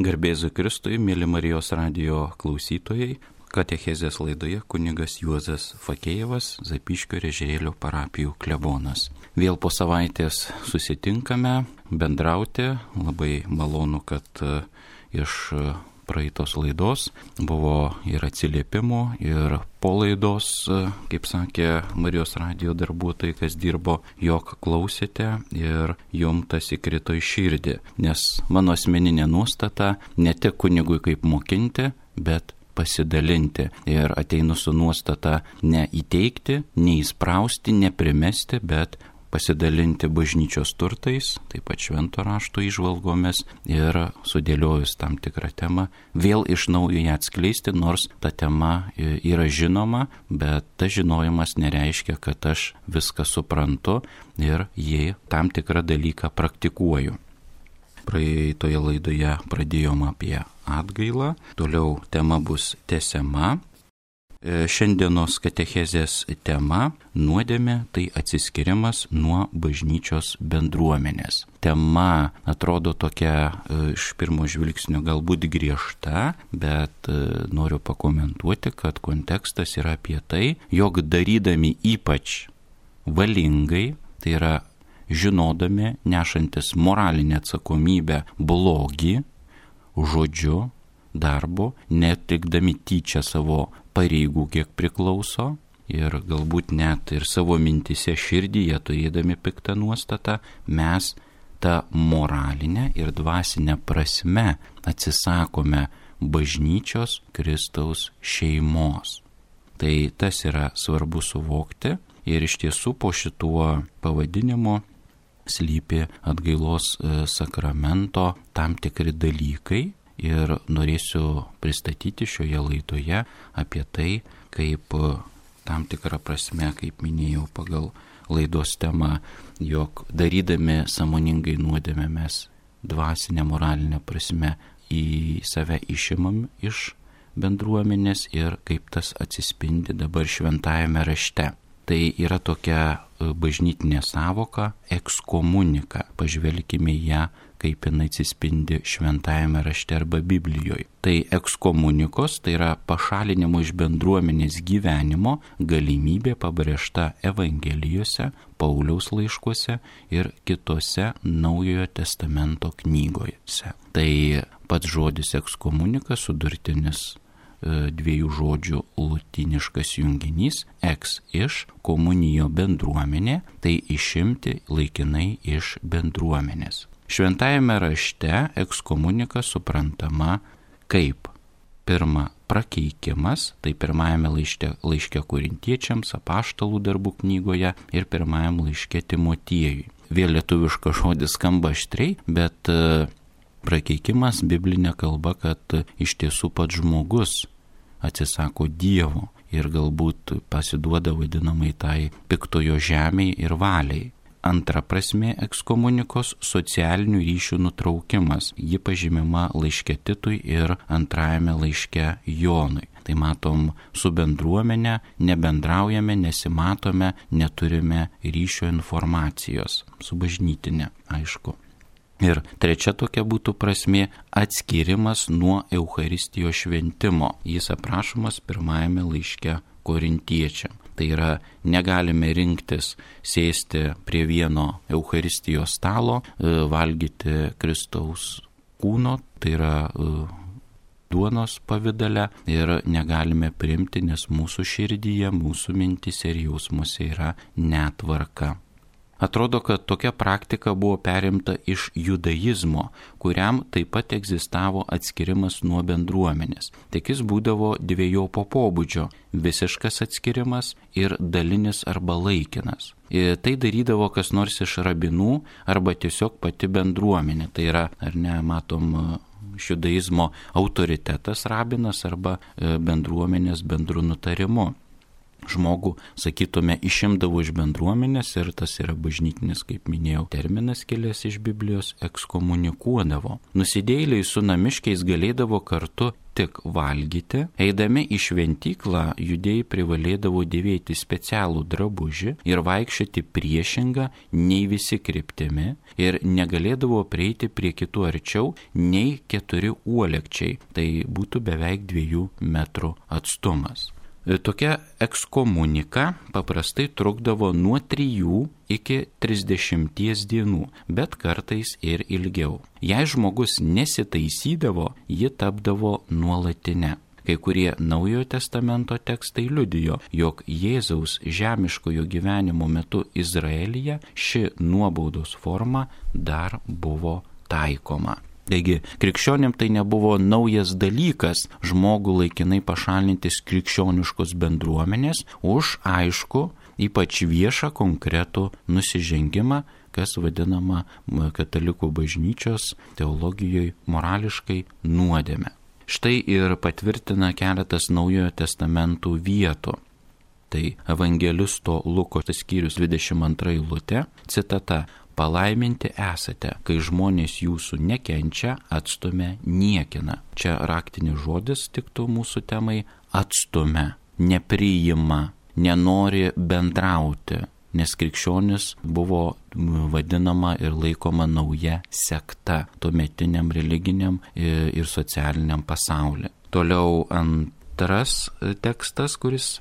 Garbėzui Kristui, mėly Marijos radijo klausytojai, katechezės laidoje kunigas Juozas Fakėjevas, Zapyškio ir Ežerėlio parapijų klebonas. Vėl po savaitės susitinkame bendrauti. Labai malonu, kad iš praeitos laidos buvo ir atsiliepimų, ir po laidos, kaip sakė Marijos radijo darbuotojai, kas dirbo, jog klausėte ir jums tas įkrito į širdį. Nes mano asmeninė nuostata ne tik kunigui kaip mokinti, bet pasidalinti. Ir ateinu su nuostata ne įteikti, neįsprausti, neprimesti, bet pasidalinti bažnyčios turtais, taip pat švento rašto įžvalgomis ir sudėliojus tam tikrą temą, vėl iš naujo ją atskleisti, nors ta tema yra žinoma, bet tas žinojimas nereiškia, kad aš viską suprantu ir jį tam tikrą dalyką praktikuoju. Praeitoje laidoje pradėjom apie atgailą, toliau tema bus tęsiama. Šiandienos katechezės tema – nuodėmė, tai atsiskirimas nuo bažnyčios bendruomenės. Tema atrodo tokia iš pirmo žvilgsnio galbūt griežta, bet noriu pakomentuoti, kad kontekstas yra apie tai, jog darydami ypač valingai, tai yra žinodami, nešantis moralinę atsakomybę blogį, žodžiu, darbu, netikdami tyčia savo pareigų, kiek priklauso, ir galbūt net ir savo mintise širdyje turėdami piktą nuostatą, mes tą moralinę ir dvasinę prasme atsisakome bažnyčios Kristaus šeimos. Tai tas yra svarbu suvokti ir iš tiesų po šituo pavadinimu slypi atgailos sakramento tam tikri dalykai. Ir norėsiu pristatyti šioje laidoje apie tai, kaip tam tikrą prasme, kaip minėjau pagal laidos temą, jog darydami sąmoningai nuodėmę mes dvasinę, moralinę prasme į save išimam iš bendruomenės ir kaip tas atsispindi dabar šventajame rašte. Tai yra tokia bažnytinė sąvoka ekskomunika. Pažvelkime ją, kaip jinai atsispindi šventajame rašte arba Biblijoje. Tai ekskomunikos, tai yra pašalinimo iš bendruomenės gyvenimo galimybė pabrėžta Evangelijose, Pauliaus laiškuose ir kitose Naujojo testamento knygose. Tai pats žodis ekskomunika sudurtinis dviejų žodžių lotyniškas junginys ex iš komunijo bendruomenė, tai išimti laikinai iš bendruomenės. Šventajame rašte ekskomunika suprantama kaip pirma prakeikimas, tai pirmajame laiške Korintiečiams, Apaštalų darbų knygoje ir pirmajame laiške Timotiejui. Vėl lietuviškas žodis skamba aštriai, bet prakeikimas biblinė kalba, kad iš tiesų pats žmogus atsisako Dievo ir galbūt pasiduoda vadinamai tai piktojo žemei ir valiai. Antra prasmė ekskomunikos – socialinių ryšių nutraukimas. Ji pažymima laiške Titui ir antrajame laiške Jonui. Tai matom, su bendruomenė nebendraujame, nesimatome, neturime ryšio informacijos. Su bažnytinė, aišku. Ir trečia tokia būtų prasmė – atskirimas nuo Eucharistijos šventimo. Jis aprašomas pirmajame laiške Korintiečiam. Tai yra, negalime rinktis sėsti prie vieno Eucharistijos stalo, valgyti Kristaus kūno, tai yra duonos pavidale, ir negalime priimti, nes mūsų širdyje, mūsų mintise ir jausmuose yra netvarka. Atrodo, kad tokia praktika buvo perimta iš judaizmo, kuriam taip pat egzistavo atskirimas nuo bendruomenės. Tik jis būdavo dviejopo pobūdžio – visiškas atskirimas ir dalinis arba laikinas. Ir tai darydavo kas nors iš rabinų arba tiesiog pati bendruomenė. Tai yra, ar ne, matom, judaizmo autoritetas rabinas arba bendruomenės bendru nutarimu. Žmogų, sakytume, išimdavo iš bendruomenės ir tas yra bažnytinis, kaip minėjau, terminas kilęs iš Biblijos, ekskomunikuodavo. Nusidėjėliai su namiškiais galėdavo kartu tik valgyti. Eidami į šventyklą judėjai privalėdavo dėvėti specialų drabužį ir vaikščioti priešingą nei visi kryptimi ir negalėdavo prieiti prie kitų arčiau nei 4 uolekčiai, tai būtų beveik 2 metrų atstumas. Tokia ekskomunika paprastai trukdavo nuo 3 iki 30 dienų, bet kartais ir ilgiau. Jei žmogus nesitaisydavo, ji tapdavo nuolatinė. Kai kurie Naujojo testamento tekstai liudijo, jog Jėzaus žemiškojo gyvenimo metu Izraelyje ši nuobaudos forma dar buvo taikoma. Taigi, krikščionim tai nebuvo naujas dalykas žmogų laikinai pašalintis krikščioniškos bendruomenės už aišku, ypač viešą konkretų nusižengimą, kas vadinama katalikų bažnyčios teologijoje morališkai nuodėme. Štai ir patvirtina keletas Naujojo testamentų vietų. Tai evangelisto Luko skyrius 22 eilutė, citata: palaiminti esate, kai žmonės jūsų nekenčia, atstumia, niekina. Čia raktinis žodis tiktų mūsų temai: atstumia, nepriima, nenori bendrauti, nes krikščionis buvo vadinama ir laikoma nauja sekta tuometiniam religiniam ir socialiniam pasauliu. Toliau antras tekstas, kuris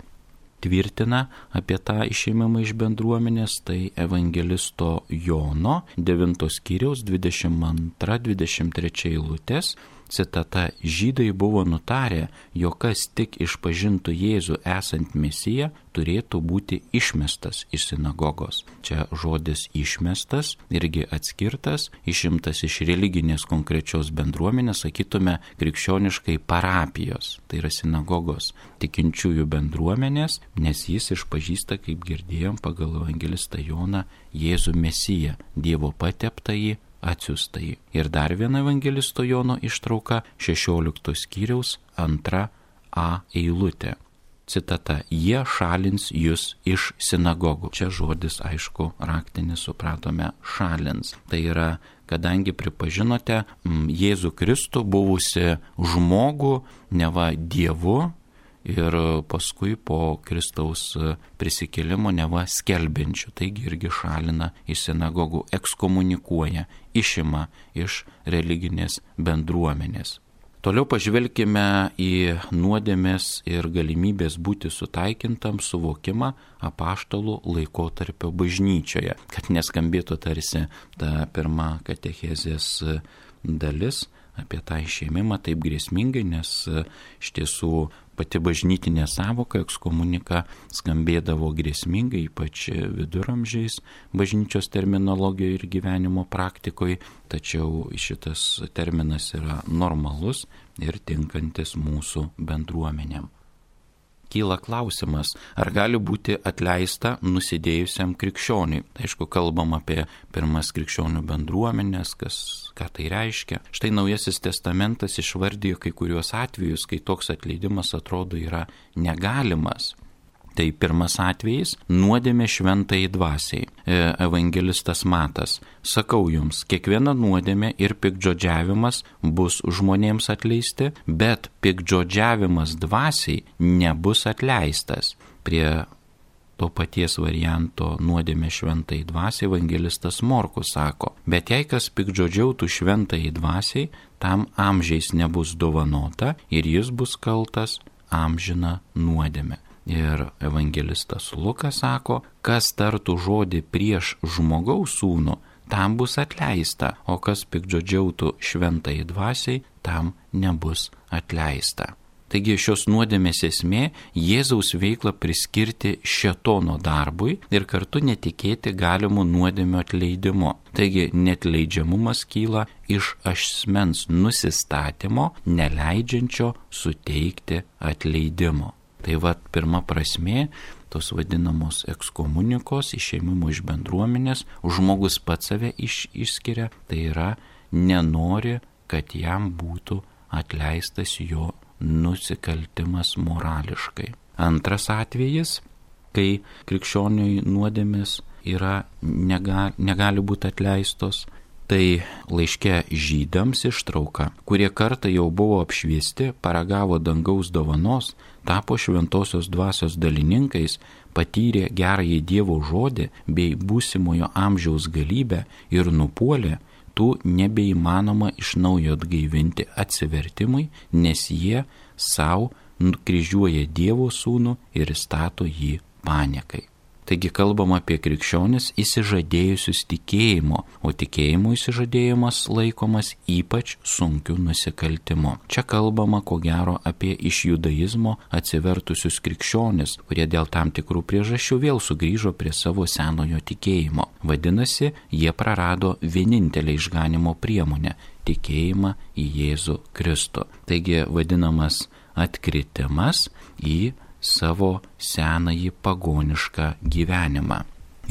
tvirtina apie tą išėjimą iš bendruomenės, tai evangelisto Jono 9 skyriaus 22-23 eilutės. Citata: žydai buvo nutarę, jog kas tik išpažintų Jėzų esant Mesiją, turėtų būti išmestas iš sinagogos. Čia žodis išmestas irgi atskirtas, išimtas iš religinės konkrečios bendruomenės, sakytume krikščioniškai parapijos, tai yra sinagogos tikinčiųjų bendruomenės, nes jis išpažįsta, kaip girdėjom pagal evangelistą Joną, Jėzų Mesiją, Dievo pateptąjį, atsiųstai. Ir dar viena evangelisto Jono ištrauka 16 skyriaus 2a eilutė. Citata: jie šalins jūs iš sinagogų. Čia žodis, aišku, raktinis, supratome, šalins. Tai yra, kadangi pripažinote Jėzų Kristų buvusi žmogų, neva Dievu, ir paskui po Kristaus prisikėlimo neva skelbiančių. Taigi irgi šalina iš sinagogų, ekskomunikuoja, išima iš religinės bendruomenės. Toliau pažvelkime į nuodėmės ir galimybės būti sutaikintam suvokimą apaštalų laikotarpio bažnyčioje, kad neskambėtų tarsi ta pirma katechezės dalis apie tą išėmimą taip grėsmingai, nes iš tiesų pati bažnytinė savoka ekskomunika skambėdavo grėsmingai, ypač viduramžiais bažnyčios terminologijoje ir gyvenimo praktikoje, tačiau šitas terminas yra normalus ir tinkantis mūsų bendruomenėm. Kyla klausimas, ar gali būti atleista nusidėjusiam krikščioniui. Tai aišku, kalbam apie pirmas krikščionių bendruomenės, ką tai reiškia. Štai Naujasis testamentas išvardijo kai kuriuos atvejus, kai toks atleidimas atrodo yra negalimas. Tai pirmas atvejis – nuodėmė šventai dvasiai. Evangelistas Matas: sakau jums, kiekviena nuodėmė ir piktžodžiavimas bus žmonėms atleisti, bet piktžodžiavimas dvasiai nebus atleistas. Prie to paties varianto nuodėmė šventai dvasiai evangelistas Morkus sako: bet jei kas piktžodžiautų šventai dvasiai, tam amžiais nebus dovanota ir jis bus kaltas amžiną nuodėmę. Ir evangelistas Lukas sako: kas tartų žodį prieš žmogaus sūnų, tam bus atleista, o kas piktžodžiautų šventai dvasiai, tam nebus atleista. Taigi šios nuodėmės esmė – Jėzaus veiklą priskirti šėtono darbui ir kartu netikėti galimų nuodėmių atleidimu. Taigi neatleidžiamumas kyla iš asmens nusistatymo, neleidžiančio suteikti atleidimo. Tai pirma prasmė tos vadinamos ekskomunikos, išėmimo iš bendruomenės, žmogus pats save išskiria, tai yra nenori, kad jam būtų atleistas jo nusikaltimas morališkai. Antras atvejis, kai krikščioniui nuodėmės negali būti atleistos, Tai laiške Žydams ištrauka, kurie kartą jau buvo apšviesti, paragavo dangaus dovanos, tapo šventosios dvasios dalininkais, patyrė gerąjį Dievo žodį bei būsimojo amžiaus galybę ir nupuolė, tų nebeįmanoma iš naujo atgaivinti atsivertimui, nes jie savo nukryžiuoja Dievo sūnų ir stato jį paniekai. Taigi kalbama apie krikščionis įsižadėjusius tikėjimo, o tikėjimo įsižadėjimas laikomas ypač sunkiu nusikaltimu. Čia kalbama ko gero apie iš judaizmo atsivertusius krikščionis, kurie dėl tam tikrų priežasčių vėl sugrįžo prie savo senojo tikėjimo. Vadinasi, jie prarado vienintelę išganimo priemonę – tikėjimą į Jėzų Kristų. Taigi vadinamas atkritimas į savo senąjį pagonišką gyvenimą.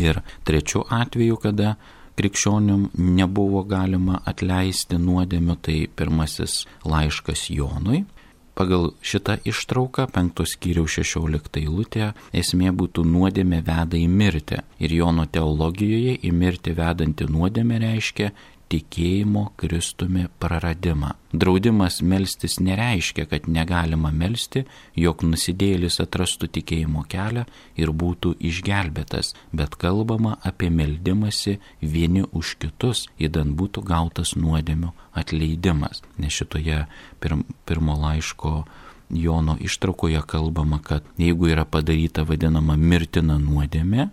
Ir trečiu atveju, kada krikščionim nebuvo galima atleisti nuodėmių, tai pirmasis laiškas Jonui. Pagal šitą ištrauką 5 skyriaus 16 eilutė esmė būtų nuodėmė veda į mirtį. Ir Jono teologijoje į mirtį vedanti nuodėmė reiškia tikėjimo Kristumi praradimą. Draudimas melstis nereiškia, kad negalima melsti, jog nusidėjėlis atrastų tikėjimo kelią ir būtų išgelbėtas, bet kalbama apie meldimąsi vieni už kitus, idant būtų gautas nuodėmių atleidimas. Nes šitoje pirmo laiško Jono ištraukoje kalbama, kad jeigu yra padaryta vadinama mirtina nuodėmė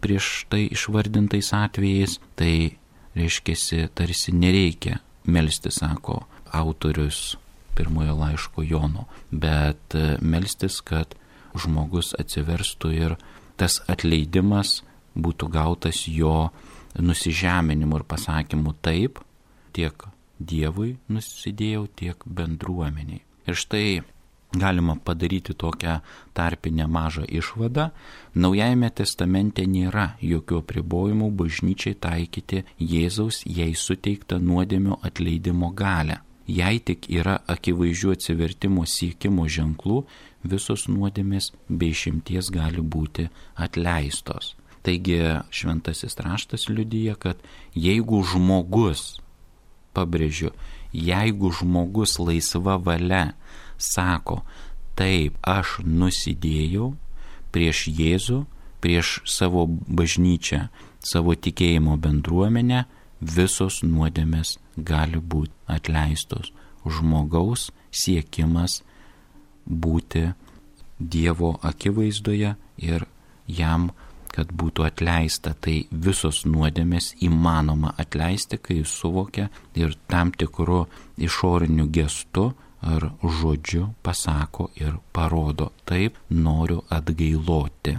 prieš tai išvardintais atvejais, tai reiškiasi, tarsi nereikia melstis, sako autorius pirmojo laiško Jono, bet melstis, kad žmogus atsiverstų ir tas atleidimas būtų gautas jo nusižeminimu ir pasakymu taip, tiek Dievui nusidėjau, tiek bendruomeniai. Ir štai galima padaryti tokią tarpinę mažą išvadą. Naujajame testamente nėra jokių apribojimų bažnyčiai taikyti Jėzaus jai suteiktą nuodėmių atleidimo galią. Jei tik yra akivaizdžių atsivertimo siekimo ženklų, visos nuodėmės be išimties gali būti atleistos. Taigi šventasis raštas liudija, kad jeigu žmogus, pabrėžiu, jeigu žmogus laisva valia sako, taip, aš nusidėjau prieš Jėzų, prieš savo bažnyčią, savo tikėjimo bendruomenę, visos nuodėmės gali būti atleistos. Žmogaus siekimas būti Dievo akivaizdoje ir jam, kad būtų atleista, tai visos nuodėmės įmanoma atleisti, kai jis suvokia ir tam tikru išoriniu gestu ar žodžiu pasako ir parodo, taip, noriu atgailoti.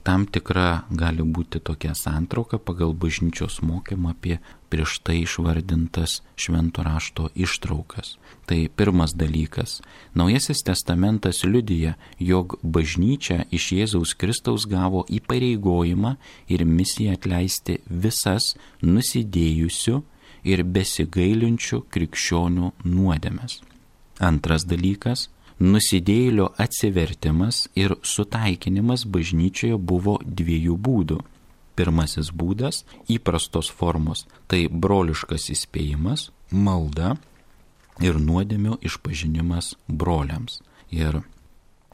Tam tikra gali būti tokia santrauka pagal bažnyčios mokymą apie prieš tai išvardintas švento rašto ištraukas. Tai pirmas dalykas. Naujasis testamentas liudija, jog bažnyčia iš Jėzaus Kristaus gavo įpareigojimą ir misiją atleisti visas nusidėjusių ir besigailinčių krikščionių nuodėmes. Antras dalykas. Nusidėjėlio atsivertimas ir sutaikinimas bažnyčioje buvo dviejų būdų. Pirmasis būdas – įprastos formos, tai broliškas įspėjimas, malda ir nuodėmių išpažinimas broliams. Ir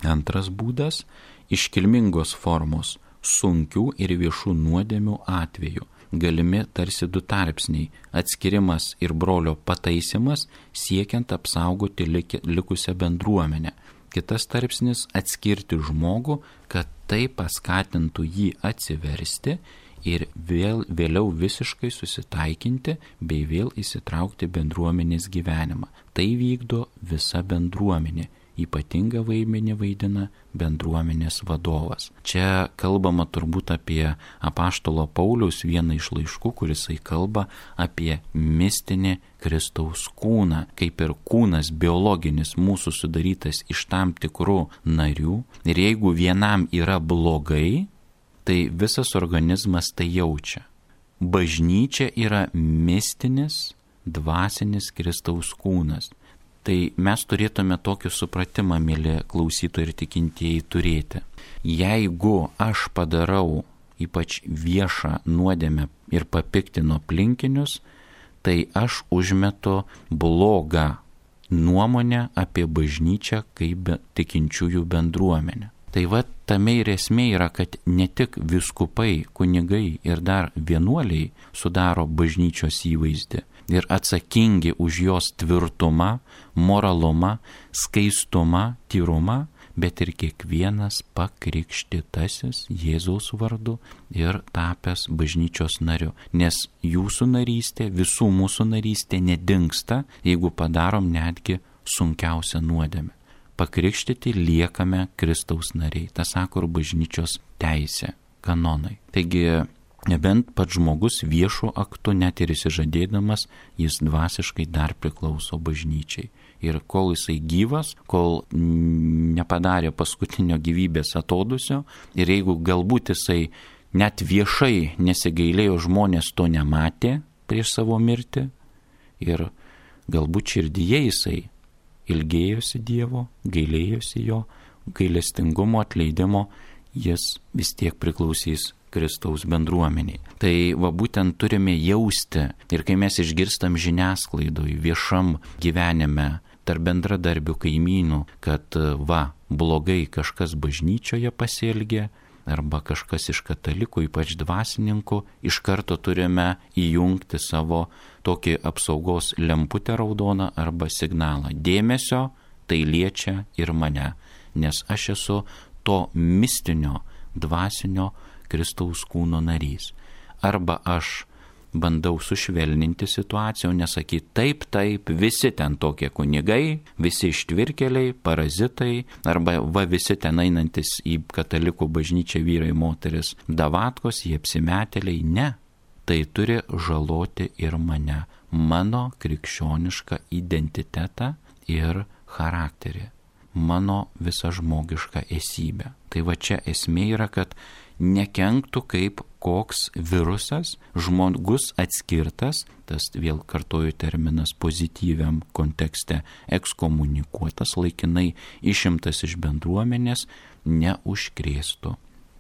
antras būdas – iškilmingos formos, sunkių ir viešų nuodėmių atveju. Galimi tarsi du tarpsniai – atskirimas ir brolio pataisimas, siekiant apsaugoti likusią bendruomenę. Kitas tarpsnis – atskirti žmogų, kad tai paskatintų jį atsiversti ir vėliau visiškai susitaikinti bei vėl įsitraukti bendruomenės gyvenimą. Tai vykdo visa bendruomenė. Ypatingą vaidmenį vaidina bendruomenės vadovas. Čia kalbama turbūt apie apaštalo Pauliaus vieną iš laiškų, kurisai kalba apie mistinį Kristaus kūną, kaip ir kūnas biologinis mūsų sudarytas iš tam tikrų narių. Ir jeigu vienam yra blogai, tai visas organizmas tai jaučia. Bažnyčia yra mistinis, dvasinis Kristaus kūnas. Tai mes turėtume tokį supratimą, mėly klausytojai ir tikintieji, turėti. Jeigu aš padarau ypač viešą nuodėmę ir papiktinu aplinkinius, tai aš užmetu blogą nuomonę apie bažnyčią kaip tikinčiųjų bendruomenę. Tai va tame ir esmė yra, kad ne tik vyskupai, kunigai ir dar vienuoliai sudaro bažnyčios įvaizdį ir atsakingi už jos tvirtumą, moralumą, skaistumą, tyrumą, bet ir kiekvienas pakrikštytasis Jėzaus vardu ir tapęs bažnyčios nariu. Nes jūsų narystė, visų mūsų narystė nedingsta, jeigu padarom netgi sunkiausią nuodėmę. Pakrikštyti liekame Kristaus nariai. Tas sako ir bažnyčios teisė, kanonai. Taigi, nebent pats žmogus viešų aktų, net ir įsižadėdamas, jis dvasiškai dar priklauso bažnyčiai. Ir kol jisai gyvas, kol nepadarė paskutinio gyvybės atodusio, ir jeigu galbūt jisai net viešai nesigailėjo, žmonės to nematė prieš savo mirtį, ir galbūt širdyje jisai ilgėjosi Dievo, gailėjosi jo, gailestingumo, atleidimo, jis vis tiek priklausys Kristaus bendruomeniai. Tai va būtent turime jausti, ir kai mes išgirstam žiniasklaidoj, viešam gyvenime, tarp bendradarbių kaimynų, kad va, blogai kažkas bažnyčioje pasielgė, arba kažkas iš katalikų, ypač dvasininkų, iš karto turime įjungti savo tokį apsaugos lemputę raudoną arba signalą. Dėmesio, tai liečia ir mane, nes aš esu to mistinio, dvasinio Kristaus kūno narys. Arba aš bandau sušvelninti situaciją, o nesakyti taip, visi ten tokie kunigai, visi ištvirkeliai, parazitai, arba va visi ten einantis į katalikų bažnyčią vyrai, moteris, davatkos, jie apsimetėliai. Ne, tai turi žaloti ir mane, mano krikščionišką identitetą ir charakterį, mano visą žmogišką esybę. Tai va čia esmė yra, kad nekenktų kaip koks virusas, žmogus atskirtas, tas vėl kartoju terminas pozityviam kontekste, ekskomunikuotas, laikinai išimtas iš bendruomenės, neužkrėstų.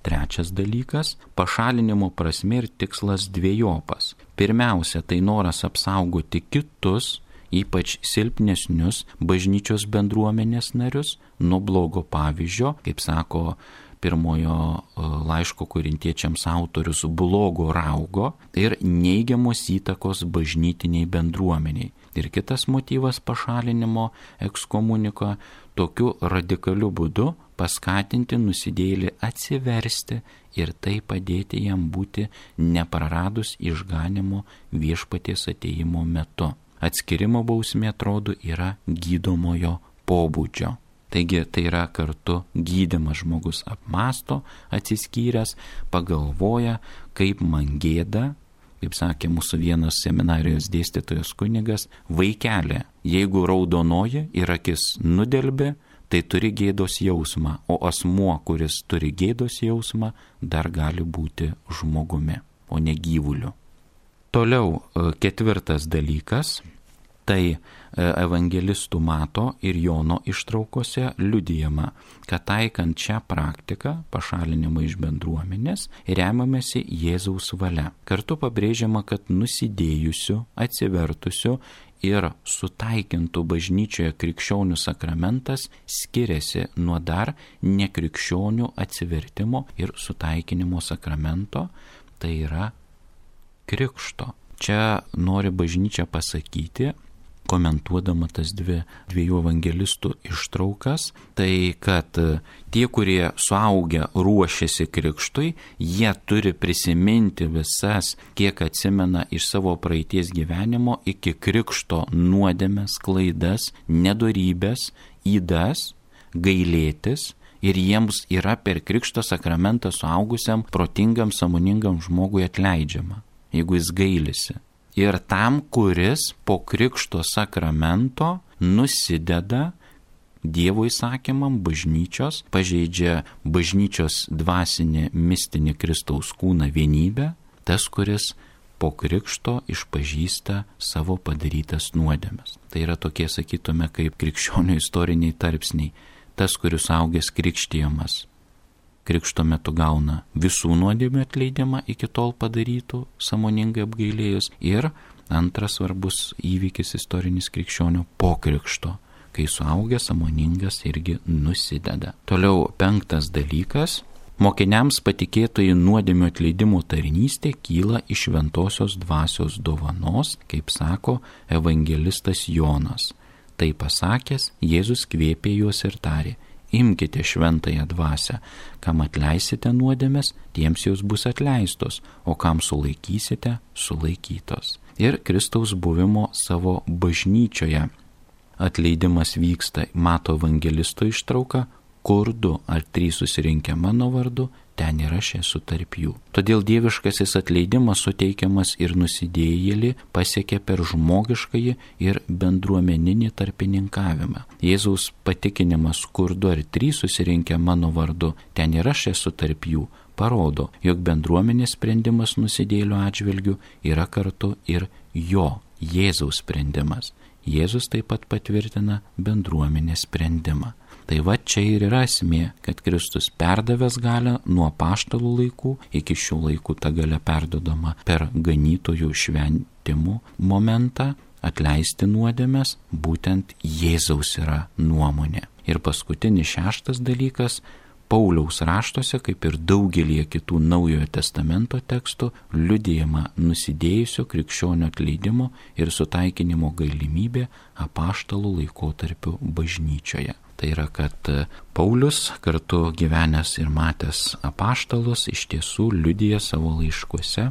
Trečias dalykas - pašalinimo prasmė ir tikslas dvejopas. Pirmiausia, tai noras apsaugoti kitus, ypač silpnesnius bažnyčios bendruomenės narius, nuo blogo pavyzdžio, kaip sako pirmojo laiško korintiečiams autorius, blogo raugo ir neigiamos įtakos bažnytiniai bendruomeniai. Ir kitas motyvas pašalinimo ekskomuniko - tokiu radikaliu būdu paskatinti nusidėjėlį atsiversti ir tai padėti jam būti nepraradus išganimo viešpaties atėjimo metu. Atskirimo bausmė, atrodo, yra gydomojo pobūdžio. Taigi tai yra kartu gydymas, žmogus apmąsto, atsiskyręs, pagalvoja, kaip man gėda, kaip sakė mūsų vienas seminarijos dėstytojas kunigas, vaikelė, jeigu raudonoji ir akis nudelbė, tai turi gėdos jausmą, o asmuo, kuris turi gėdos jausmą, dar gali būti žmogumi, o ne gyvuliu. Toliau ketvirtas dalykas. Tai evangelistų Mato ir Jono ištraukose liudijama, kad taikant šią praktiką, pašalinimą iš bendruomenės, remiamasi Jėzaus valia. Kartu pabrėžiama, kad nusidėjusių, atsivertusių ir sutaikintų bažnyčioje krikščionių sakramentas skiriasi nuo dar nekrikščionių atsivertimo ir sutaikinimo sakramento, tai yra krikšto. Čia nori bažnyčia pasakyti, komentuodama tas dviejų evangelistų ištraukas, tai kad tie, kurie suaugę ruošiasi krikštui, jie turi prisiminti visas, kiek atsimena iš savo praeities gyvenimo iki krikšto nuodėmes, klaidas, nedorybės, ydas, gailėtis, ir jiems yra per krikšto sakramentą suaugusiam, protingam, sąmoningam žmogui atleidžiama, jeigu jis gailisi. Ir tam, kuris po krikšto sakramento nusideda Dievo įsakymam bažnyčios, pažeidžia bažnyčios dvasinį, mistinį Kristaus kūną vienybę, tas, kuris po krikšto išpažįsta savo padarytas nuodėmes. Tai yra tokie, sakytume, kaip krikščionių istoriniai tarpsniai. Tas, kuris augęs krikštijamas, krikšto metu gauna visų nuodėmių atleidimą iki tol padarytų, sąmoningai apgailėjus, ir Antras svarbus įvykis istorinis krikščionio po krikšto, kai suaugęs sąmoningas irgi nusideda. Toliau 5 dalykas. Mokiniams patikėtoji nuodėmių atleidimo tarnystė kyla iš šventosios dvasios dovanos, kaip sako evangelistas Jonas. Tai pasakęs, Jėzus kvėpė juos ir tarė: imkite šventąją dvasią, kam atleisite nuodėmes, tiems jos bus atleistos, o kam sulaikysite, sulaikytos. Ir Kristaus buvimo savo bažnyčioje atleidimas vyksta, mato evangelisto ištrauką, kur 2 ar 3 susirinkę mano vardu, ten ir aš esu tarp jų. Todėl dieviškasis atleidimas suteikiamas ir nusidėjėlį pasiekia per žmogiškąjį ir bendruomeninį tarpininkavimą. Jėzaus patikinimas, kur 2 ar 3 susirinkę mano vardu, ten ir aš esu tarp jų, parodo, jog bendruomenės sprendimas nusidėjėlio atžvilgiu yra kartu ir jo, Jėzaus sprendimas. Jėzus taip pat patvirtina bendruomenės sprendimą. Tai va čia ir yra esmė, kad Kristus perdavęs galią nuo apaštalų laikų, iki šių laikų ta galia perdodama per ganytojų šventimų momentą, atleisti nuodėmes, būtent Jėzaus yra nuomonė. Ir paskutinis 6 dalykas, Pauliaus raštuose, kaip ir daugelį kitų Naujojo testamento tekstų, liudijama nusidėjusio krikščionio atleidimo ir sutaikinimo galimybė apaštalų laikotarpiu bažnyčioje. Tai yra, kad Paulius, kartu gyvenęs ir matęs apaštalus, iš tiesų liudija savo laiškuose,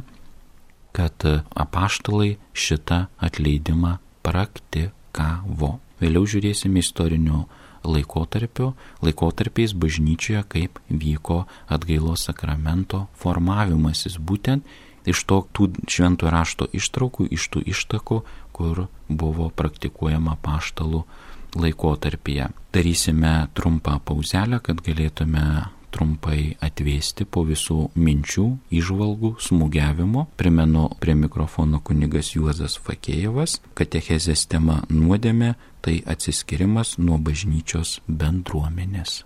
kad apaštalai šitą atleidimą praktikavo. Vėliau žiūrėsime istorinių laikotarpiais bažnyčioje, kaip vyko atgailos sakramento formavimasis, būtent iš tų šventojo rašto ištraukų, iš tų ištakų, kur buvo praktikuojama apaštalų laikotarpyje. Darysime trumpą pauzelę, kad galėtume trumpai atvėsti po visų minčių, įžvalgų, smūgiavimo. Primenu, prie mikrofono kunigas Juozas Fakėjevas. Katechezės tema nuodėmė - tai atsiskirimas nuo bažnyčios bendruomenės.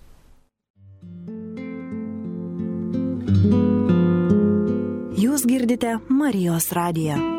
Jūs girdite Marijos radiją.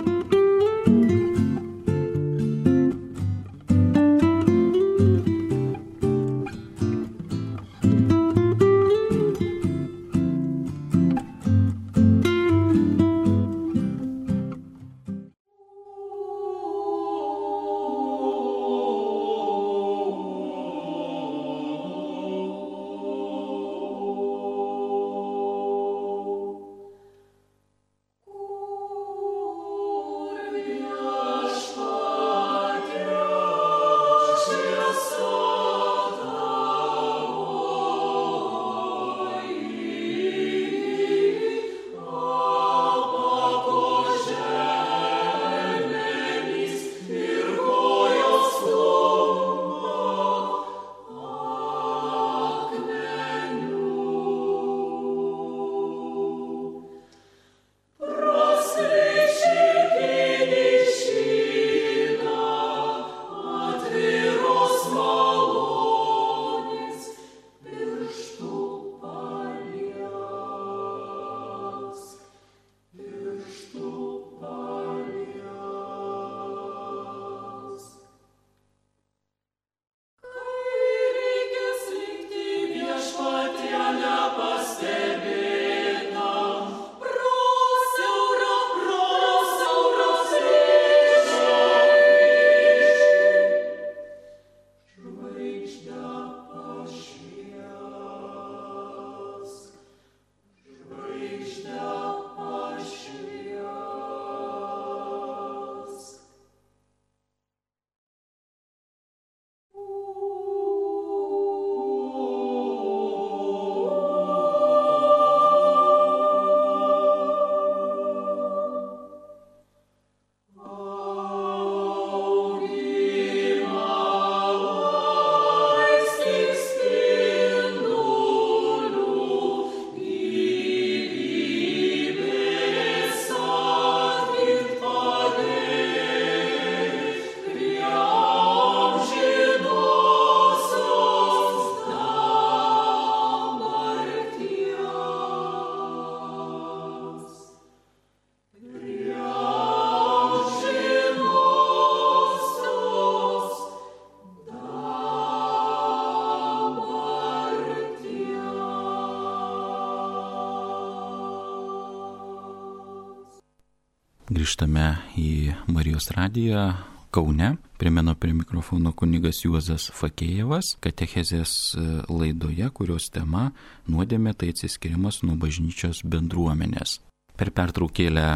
Grįžtame į Marijos radiją Kaune. Primenu, prie mikrofono kunigas Juozas Fakėjevas, katechezės laidoje, kurios tema nuodėmė tai atsiskirimas nuo bažnyčios bendruomenės. Per pertraukėlę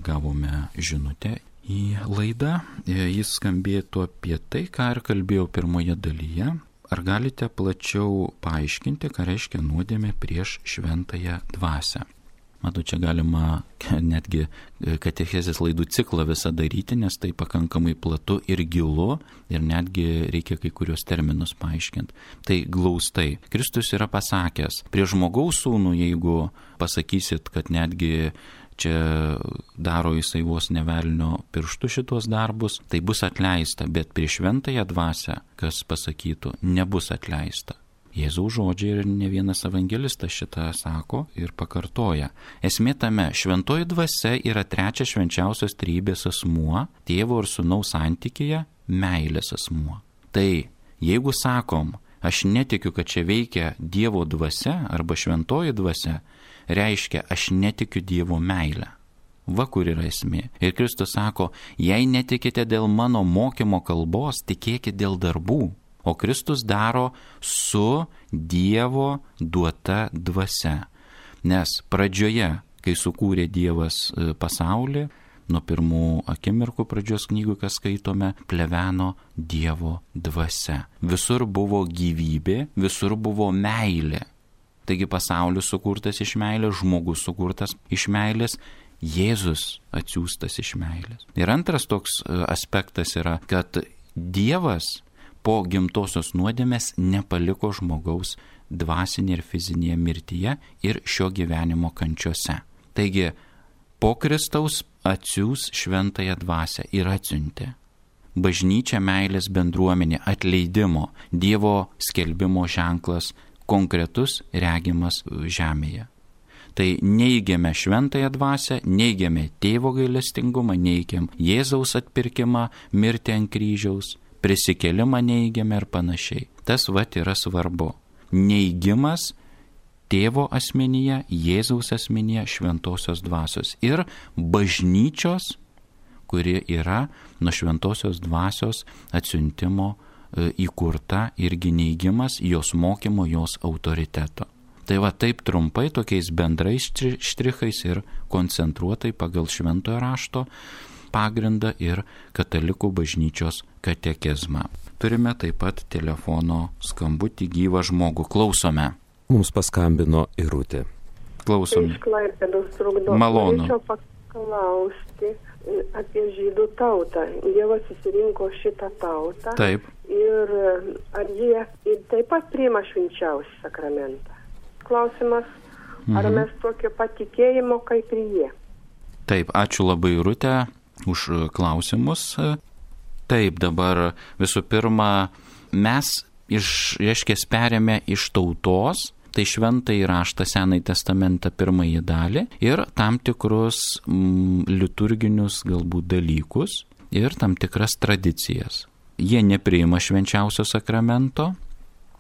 gavome žinutę į laidą. Jis skambėtų apie tai, ką ir kalbėjau pirmoje dalyje. Ar galite plačiau paaiškinti, ką reiškia nuodėmė prieš šventąją dvasią? Matau, čia galima netgi katechezės laidų ciklą visą daryti, nes tai pakankamai platu ir gilu ir netgi reikia kai kurios terminus paaiškinti. Tai glaustai. Kristus yra pasakęs, prie žmogaus sūnų, jeigu pasakysit, kad netgi čia daro jisai vos ne velnio pirštu šitos darbus, tai bus atleista, bet prieš šventąją dvasią, kas pasakytų, nebus atleista. Jėzaus žodžiai ir ne vienas evangelistas šitą sako ir pakartoja. Esmė tame, šventoji dvasia yra trečias švenčiausios trejybės asmuo, tėvo ir sūnaus santykyje meilės asmuo. Tai jeigu sakom, aš netikiu, kad čia veikia Dievo dvasia arba šventoji dvasia, reiškia, aš netikiu Dievo meilę. Va kur yra esmė. Ir Kristus sako, jei netikite dėl mano mokymo kalbos, tikėkite dėl darbų. O Kristus daro su Dievo duota dvasia. Nes pradžioje, kai sukūrė Dievas pasaulį, nuo pirmų akimirkų pradžios knygų, kas skaitome, pleveno Dievo dvasia. Visur buvo gyvybė, visur buvo meilė. Taigi pasaulis sukurtas iš meilės, žmogus sukurtas iš meilės, Jėzus atsiųstas iš meilės. Ir antras toks aspektas yra, kad Dievas po gimtosios nuodėmės nepaliko žmogaus dvasinėje ir fizinėje mirtyje ir šio gyvenimo kančiose. Taigi, po Kristaus atsiųs šventąją dvasią ir atsiuntė. Bažnyčia meilės bendruomenė, atleidimo, Dievo skelbimo ženklas, konkretus regimas žemėje. Tai neigiame šventąją dvasią, neigiame tėvo gailestingumą, neigiam Jėzaus atpirkimą, mirtį ant kryžiaus, prisikėlimą neigiame ir panašiai. Tas vat yra svarbu. Neigimas tėvo asmenyje, Jėzaus asmenyje, šventosios dvasios ir bažnyčios, kuri yra nuo šventosios dvasios atsiuntimo įkurta, irgi neigimas jos mokymo, jos autoriteto. Tai va taip trumpai, tokiais bendrais štrichais ir koncentruotai pagal šventojo rašto pagrindą ir katalikų bažnyčios katekizmą. Turime taip pat telefono skambutį, gyvą žmogų. Klausome. Mums paskambino Irutė. Klausome. Iš Klaipėdos trukdo. Malonu. Norėčiau paklausti apie žydų tautą. Dievas susirinko šitą tautą. Taip. Ir ar jie taip pat priima švenčiausią sakramentą? Klausimas, ar mes tokio patikėjimo kaip ir jie? Taip, ačiū labai Irutė už klausimus. Taip, dabar visų pirma, mes perėmė iš tautos, tai šventąjį raštą Senąjį testamentą pirmąjį dalį ir tam tikrus liturginius galbūt dalykus ir tam tikras tradicijas. Jie nepriima švenčiausio sakramento,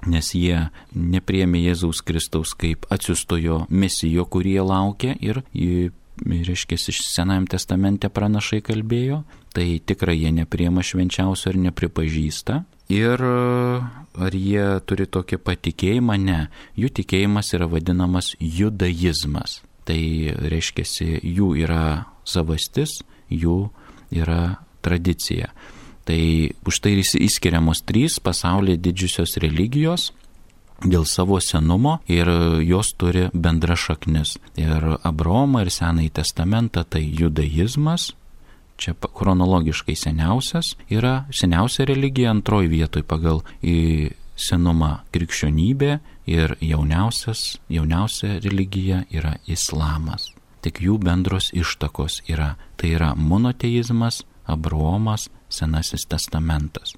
nes jie nepriėmė Jėzaus Kristaus kaip atsiųstojo mesijo, kurį jie laukia ir reiškia, iš Senajam testamente pranašai kalbėjo, tai tikrai jie nepriima švenčiausio ir nepripažįsta. Ir ar jie turi tokį patikėjimą? Ne. Jų tikėjimas yra vadinamas judaizmas. Tai reiškia, jų yra savastis, jų yra tradicija. Tai už tai įskiriamos 3 pasaulyje didžiosios religijos dėl savo senumo ir jos turi bendra šaknis. Ir Abraomą ir Senąjį testamentą tai judaizmas, čia chronologiškai seniausia religija, antroji vietoj pagal senumą krikščionybė ir jauniausia religija yra islamas. Tik jų bendros ištakos yra, tai yra monoteizmas, Abraomas, Senasis testamentas.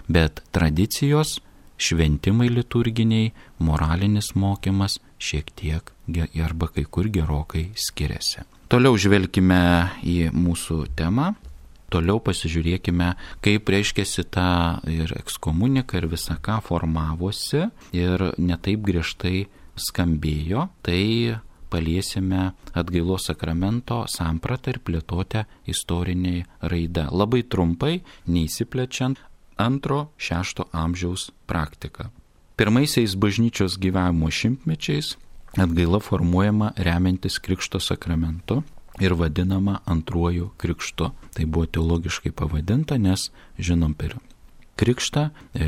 Bet tradicijos, šventimai liturginiai, moralinis mokymas šiek tiek arba kai kur gerokai skiriasi. Toliau žvelkime į mūsų temą. Toliau pasižiūrėkime, kaip reiškiasi ta ir ekskomunika ir visa ką formavosi ir netaip griežtai skambėjo. Tai paliesime atgailos sakramento sampratą ir plėtotę istoriniai raida. Labai trumpai, neįsiplečiant, 2-6 amžiaus praktika. Pirmaisiais bažnyčios gyvavimo šimtmečiais atgaila formuojama remiantis Krikšto sakramentu ir vadinama antruoju krikštu. Tai buvo teologiškai pavadinta, nes žinom per krikštą,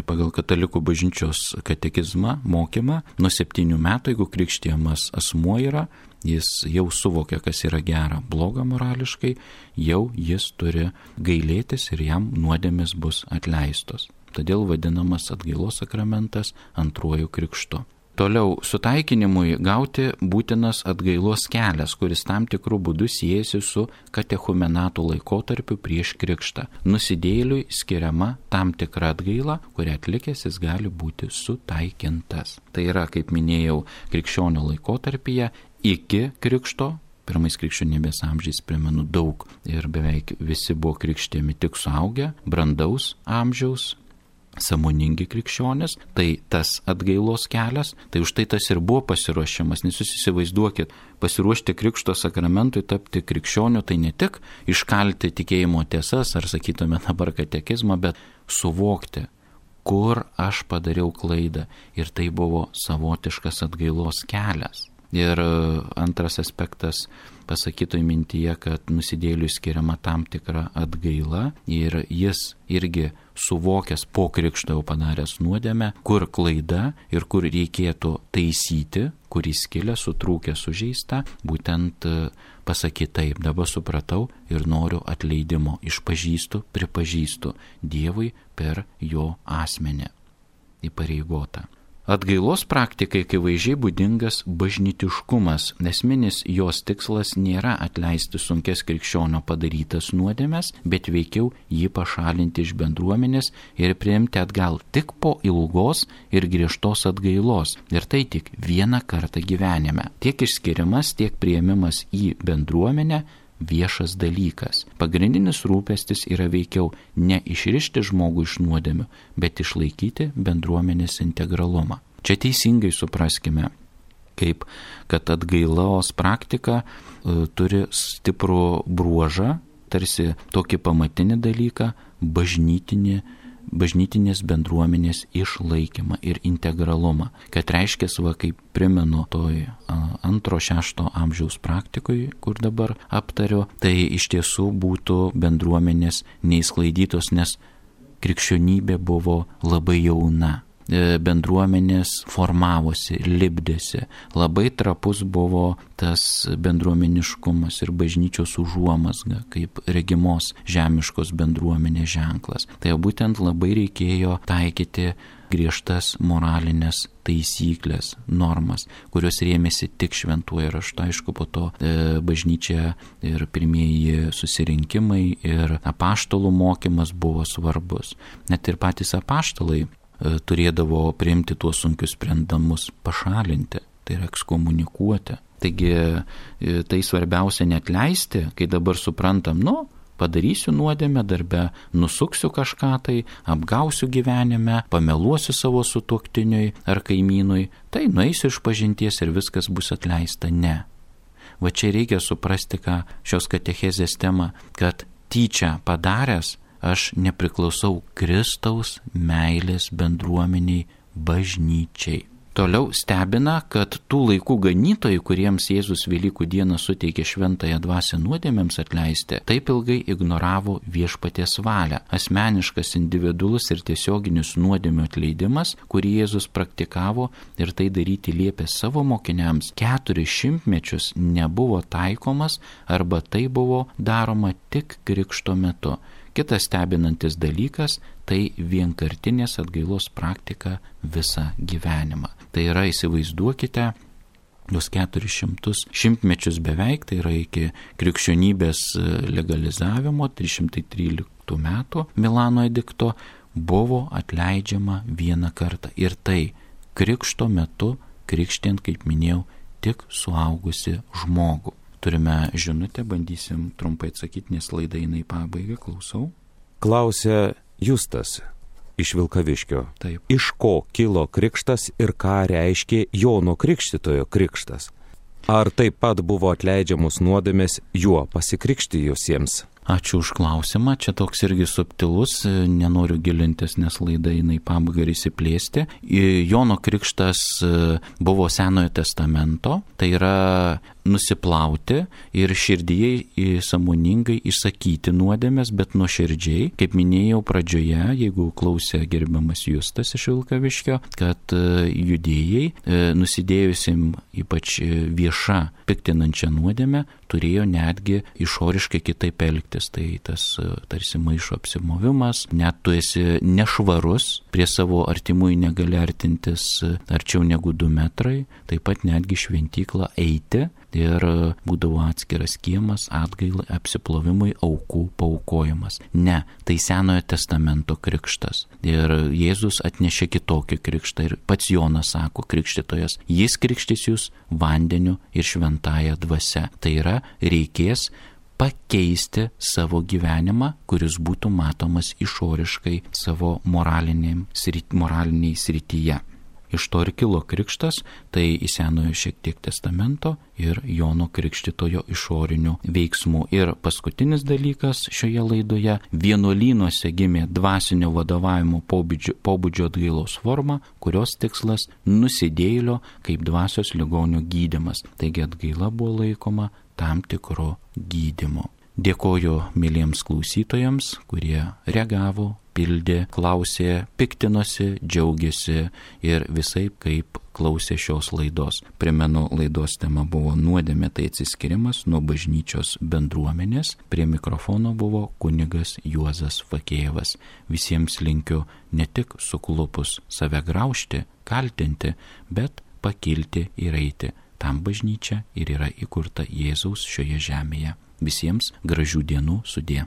pagal katalikų bažnyčios katekizmą, mokymą, nuo 7 metų, jeigu krikštijamas asmuo yra, jis jau suvokia, kas yra gera, bloga morališkai, jau jis turi gailėtis ir jam nuodėmės bus atleistos. Todėl vadinamas atgailos sakramentas antruoju krikštu. Toliau, sutaikinimui gauti būtinas atgailos kelias, kuris tam tikrų būdų siejasi su katechumenato laikotarpiu prieš krikštą. Nusidėjėliui skiriama tam tikra atgaila, kurią atlikęs jis gali būti sutaikintas. Tai yra, kaip minėjau, krikščionio laikotarpyje iki krikšto. Pirmais krikščionybės amžiais, primenu, daug ir beveik visi buvo krikštijami tik suaugę, brandaus amžiaus, sąmoningi krikščionys, tai tas atgailos kelias, tai už tai tas ir buvo pasiruošimas, nes jūs įsivaizduokit, pasiruošti krikšto sakramentui, tapti krikščioniu, tai ne tik iškalti tikėjimo tiesas, ar sakytume dabar katekizmą, bet suvokti, kur aš padariau klaidą, ir tai buvo savotiškas atgailos kelias. Ir antras aspektas pasakytoj mintyje, kad nusidėjėliui skiriama tam tikra atgaila ir jis irgi suvokęs po krikšto jau padaręs nuodėmę, kur klaida ir kur reikėtų taisyti, kur įskilę, sutrūkę, sužeista, būtent pasakyti taip, dabar supratau ir noriu atleidimo, išpažįstu, pripažįstu Dievui per jo asmenį įpareigotą. Atgailos praktikai akivaizdžiai būdingas bažnytiškumas. Esminis jos tikslas nėra atleisti sunkes krikščionio padarytas nuodėmes, bet veikiau jį pašalinti iš bendruomenės ir priimti atgal tik po ilgos ir griežtos atgailos. Ir tai tik vieną kartą gyvenime. Tiek išskirimas, tiek priėmimas į bendruomenę viešas dalykas. Pagrindinis rūpestis yra veikiau ne išrišti žmogų iš nuodėmių, bet išlaikyti bendruomenės integralumą. Čia teisingai supraskime, kaip kad atgailos praktika turi stiprų bruožą, tarsi tokį pamatinį dalyką, bažnytinės bendruomenės išlaikymą ir integralumą. Kad reiškia, kaip primenu toj 2-6 amžiaus praktikoje, kur dabar aptariu, tai iš tiesų būtų bendruomenės neįsklaidytos, nes krikščionybė buvo labai jauna. Bendruomenės formavosi, lipdėsi. Labai trapus buvo tas bendruomeniškumas ir bažnyčios užuomazga, kaip regimos žemiškos bendruomenės ženklas. Tai būtent labai reikėjo taikyti griežtas moralinės taisyklės, normas, kurios rėmėsi tik šventuoju raštu. Aišku, po to bažnyčia ir pirmieji susirinkimai ir apaštalų mokymas buvo svarbus. Net ir patys apaštalai turėdavo priimti tuos sunkius sprendimus, pašalinti, tai yra ekskomunikuoti. Taigi tai svarbiausia neatleisti, kai dabar suprantam, padarysiu nuodėmę darbe, nusuksiu kažką tai, apgausiu gyvenime, pameluosiu savo sutuoktiniui ar kaimynui, tai nueisiu išpažinties ir viskas bus atleista. Ne. Va čia reikia suprasti, ką šios katechezės tema, kad tyčia padaręs, aš nepriklausau Kristaus meilės bendruomeniai, bažnyčiai. Toliau stebina, kad tų laikų ganytojai, kuriems Jėzus Velykų dieną suteikė šventąją dvasią nuodėmėms atleisti, taip ilgai ignoravo viešpaties valią. Asmeniškas, individualus ir tiesioginis nuodėmių atleidimas, kurį Jėzus praktikavo ir tai daryti liepė savo mokiniams, 400 mečius nebuvo taikomas arba tai buvo daroma tik krikšto metu. Kitas stebinantis dalykas – tai vienkartinės atgailos praktika visą gyvenimą. Tai yra, įsivaizduokite, tuos 400 šimtmečius beveik, tai yra iki krikščionybės legalizavimo 313 metų Milano edikto, buvo atleidžiama vieną kartą. Ir tai krikšto metu, krikštint, kaip minėjau, tik suaugusi žmogų. Turime žinutę, bandysim trumpai atsakyti, nes laida eina į pabaigą, klausau. Klausia Justas iš Vilkaviškio. Taip. Iš ko kilo krikštas ir ką reiškė Jono Krikštytojo krikštas? Ar taip pat buvo atleidžiamos nuodėmės juo pasikrikštijusiems? Ačiū už klausimą, čia toks irgi subtilus, nenoriu gilintis, nes laida eina į pabaigą ir įsiplėsti. Jono krikštas buvo Senojo testamento, tai yra nusiplauti ir širdyje sąmoningai išsakyti nuodėmės, bet nuoširdžiai, kaip minėjau pradžioje, jeigu klausė gerbiamas Justas iš Vilkaviškio, kad judėjai nusidėjusim ypač viešą piktinančią nuodėmę turėjo netgi išoriškai kitaip elgtis. Tai tas tarsi maišo apsimovimas, net tu esi nešvarus, prie savo artimųjų negali artintis arčiau negu 2 metrai, taip pat netgi šventyklą eiti ir būdavo atskiras kiemas, atgailai, apsiplovimui, aukų paaukojimas. Ne, tai Senojo testamento krikštas. Ir Jėzus atnešė kitokį krikštą ir pats Jonas sako, krikštytojas, jis krikštys jūs vandeniu ir šventąja dvasia. Tai yra, reikės pakeisti savo gyvenimą, kuris būtų matomas išoriškai savo moraliniai srityje. Iš to ir kilo krikštas, tai į Senojo šiek tiek testamento ir Jono Krikštytojo išorinių veiksmų. Ir paskutinis dalykas šioje laidoje, vienuolynuose gimė dvasinio vadovavimo pobūdžio atgailos forma, kurios tikslas nusidėjėlio kaip dvasios ligonio gydymas. Taigi atgaila buvo laikoma tam tikro gydymo. Dėkoju myliems klausytojams, kurie reagavo, pildė, klausė, piktinosi, džiaugiasi ir visaip kaip klausė šios laidos. Primenu, laidos tema buvo nuodėmė, tai atsiskirimas nuo bažnyčios bendruomenės. Prie mikrofono buvo kunigas Juozas Fakėjevas. Visiems linkiu ne tik suklupus save graužti, kaltinti, bet pakilti ir eiti. Tam bažnyčia ir yra įkurta Jėzaus šioje žemėje. Visiems gražių dienų, sudie.